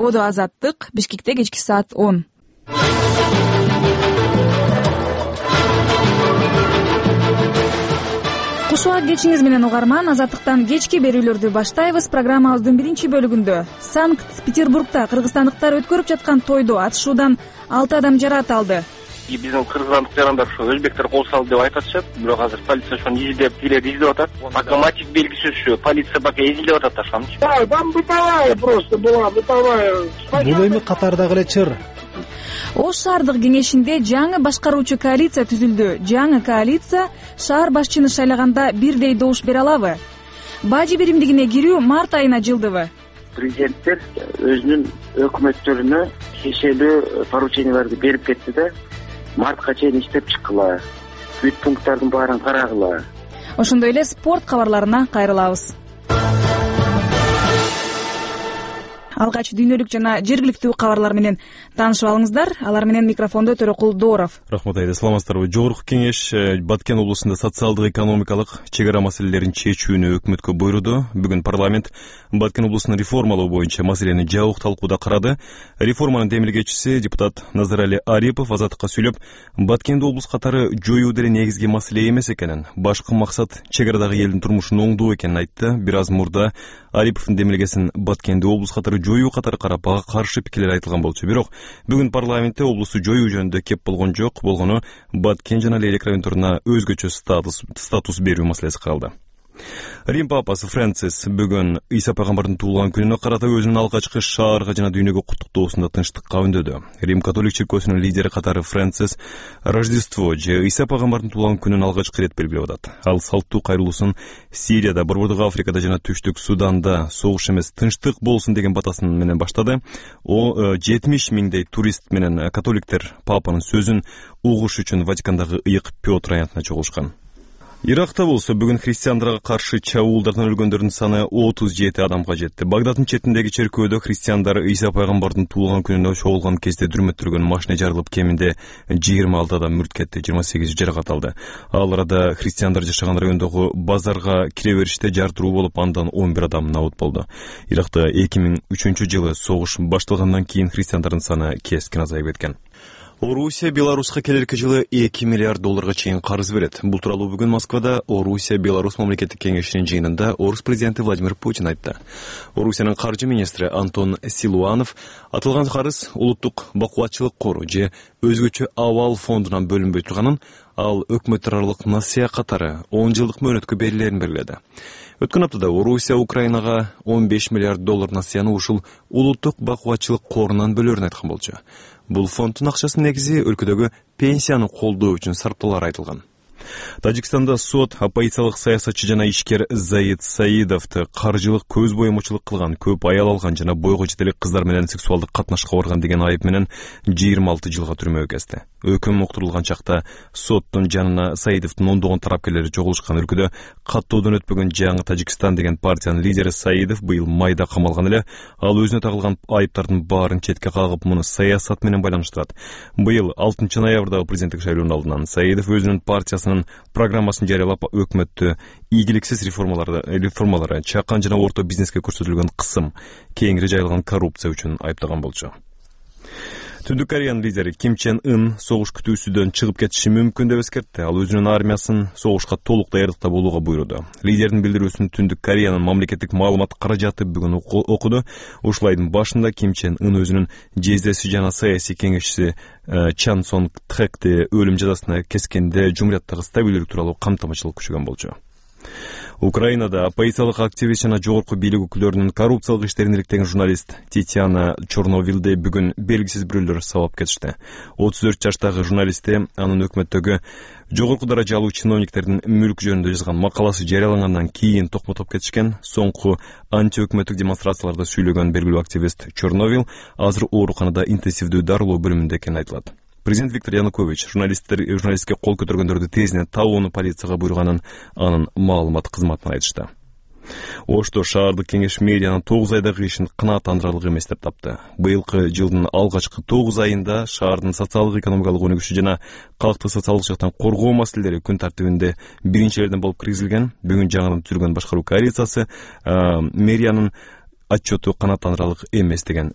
Ободо Азаттык, Бишкекте кечки саат 10. Кушуа кечиңиз менен угарман, Азаттыктан кечки берүүлөрдү баштайбыз. Программабыздын биринчи бөлүгүндө Санкт-Петербургда кыргызстандыктар өткөрүп жаткан тойдо атышуудан 6 адам жараат алды. Биздин кыргызстандык жарандар ушу өзбектер кол салды деп айтатышат, бирок азыр полиция ошону изилдеп атат. Пока мотив белгисиз ушу полиция пока изилдеп атат ашамчы. Там бытовая просто была, бытовая. Бул эми катардагы эле чыр. Ош шаардык кеңешинде жаңы башкаруучу коалиция түзүлдү. Жаңы коалиция шаар башчыны шайлаганда бирдей добуш бере алабы? Бажы биримдигине кирүү март айына жылдыбы? Президенттер өзүнүн өкмөттөрүнө тиешелүү порученияларды берип кетти да, мартка чейин иштеп чыккыла, бүт пункттардын баарын карагыла. Ошондой эле спорт кабарларына кайрылабыз. Алгач дүйнөлүк жана жергиликтүү кабарлар менен таанышып алыңыздар. Алар менен микрофондо Төрөкул Дооров. Рахмат айда, саламатсыздарбы? Жогорку кеңеш Баткен облусунда социалдык экономикалык чек ара маселелерин чечүүнү өкмөткө буйруду. Бүгүн парламент Баткен облусун реформалоо боюнча маселени жабык талкууда карады. Реформанын демилгечиси депутат Назарали Арипов Азаттыкка сүйлөп, Баткенди облус катары жоюу деле негизги маселе эмес экенин, башкы максат чек арадагы элдин турмушун оңдоо экенин айтты. Бир аз мурда Ариповдун демилгесин Баткенди облус катары жоюу катары карап, ага каршы пикирлер айтылган болчу. Бирок бүгүн парламентте облусту жоюу жөнүндө кеп болгон жок. Болгону Баткен жана Лейлек райондоруна өзгөчө статус берүү маселеси каралды. Рим папасы Францис бүгүн Иса пайгамбардын туулган күнүнө карата өзүнүн алгачкы шаарга жана дүйнөгө куттуктоосунда тынчтыкка үндөдү. Рим католик чиркөөсүнүн лидери катары Францис Рождество же Иса пайгамбардын туулган күнүн алгачкы ирет белгилеп атат. Ал салттуу кайрылуусун Сирияда, Борбордук Африкада жана Түштүк Суданда согуш эмес тынчтык болсун деген батасын менен баштады. 70 миңдей турист менен католиктер папанын сөзүн угуш үчүн Ватикандагы ыйык Петр аянтына чогулушкан. Иракта болсо бүгүн христиандарга каршы чабуулдардан өлгөндөрдүн саны 37 адамга жетти. Багдаддын четиндеги черкөөдө христиандар Иса пайгамбардын туулган күнүнө чогулган кезде дүрмөттөргөн машина жарылып, кеминде 26 адам мүрт кетти, 28 жаракат алды. Ал арада христиандар жашаган райондогу базарга кире бериште жар туруу болуп, андан 11 адам набыт болду. Иракта 2003-жылы согуш башталгандан кийин христиандардын саны кескин азайып кеткен. Орусия Беларуска келерки жылы $2 миллиард чейин карыз берет. Бул тууралуу бүгүн Москвада Орусия Беларусь мамлекеттик кеңешинин жыйынында Орус президенти Владимир Путин айтты. Орусиянын каржы министри Антон Силуанов атылган карыз улуттук бакубатчылык кору же өзгөчө абал фондунан бөлүнбөй турганын, ал өкмөттөр аралык насыя катары 10 жылдык мөөнөткө берилерин белгиледи. Өткөн аптада Орусия Украинага $15 миллиард насыяны ушул улуттук бакубатчылык корунан бөлөрүн айткан болчу. Бул фонддун акчасынын негизи өлкөдөгү пенсияны колдоо үчүн сарптоолар айтылган. Тажикстанда сот оппозициялык саясатчы жана ишкер Заид Саидовду каржылык көз боемочулук кылган, көп аял алган жана бойго жетелик кыздар менен сексуалдык катнашка барган деген айып менен 26 жылга түрмөгө кезди. Өкүм уктурулган чакта соттун жанына Саидовдун ондогон тарапкерлери чогулушкан. Өлкөдө каттоодон өтпөгөн жаңы Тажикстан деген партиянын лидери Саидов быйыл майда камалган эле. Ал өзүнө тагылган айыптардын баарын четке кагып, муну саясат менен байланыштырат. Быйыл 6 ноябрдагы президенттик шайлоонун алдынан Саидов өзүнүн партиясынын программасын жарыялап, өкмөттү ийгиликсиз реформалары, чакан жана орто бизнеске көрсөтүлгөн кысым, кеңири жайылган коррупция үчүн айыптаган болчу. Түндүк Кореянын лидери Ким Чен Ын согуш күтүүсүдөн чыгып кетиши мүмкүн деп эскертти. Ал өзүнүн армиясын согушка толук даярдыкта болууга буйруду. Лидердин билдирүүсүн Түндүк Кореянын мамлекеттик маалымат каражаты бүгүн окуду. Ушул айдын башында Ким Чен Ын өзүнүн жездеси жана саясий кеңешчиси Чан Сонг Тхэкти өлүм жазасына кескенде жумурияттагы стабилдүүлүк тууралуу камтамачылык күчөгөн болчу. Украинада оппозициялык активист жана жогорку бийлик өкүлдөрүнүн коррупциялык иштерин иликтеген журналист Татьяна Чорновилди бүгүн белгисиз бирөөлөр сабап кетишти. 34 жаштагы журналистти анын өкмөттөгү жогорку даражалуу чиновниктердин мүлк жөнүндө жазган макаласы жарыялангандан кийин токмотоп кетишкен. Соңку антиөкмөттүк демонстрацияларда сүйлөгөн белгилүү активист Чорновил азыр ооруканада интенсивдүү дарылоо бөлүмүндө экени айтылат. Президент Виктор Янукович журналистке кол көтөргөндөрдү тезинен табууну полицияга буйруганын анын маалымат кызматынан айтышты. Ошто шаардык кеңеш мэриянын 9 айдагы ишин кынааттандырарлык эмес деп тапты. Быйылкы жылдын алгачкы 9 айында шаардын социалдык экономикалык өнүгүшү жана калкты социалдык жактан коргоо маселелери күн тартибинде биринчилерден болуп киргизилген. Бүгүн жаңадан түзүлгөн башкаруу коалициясы мэриянын отчету канааттандырарлык эмес деген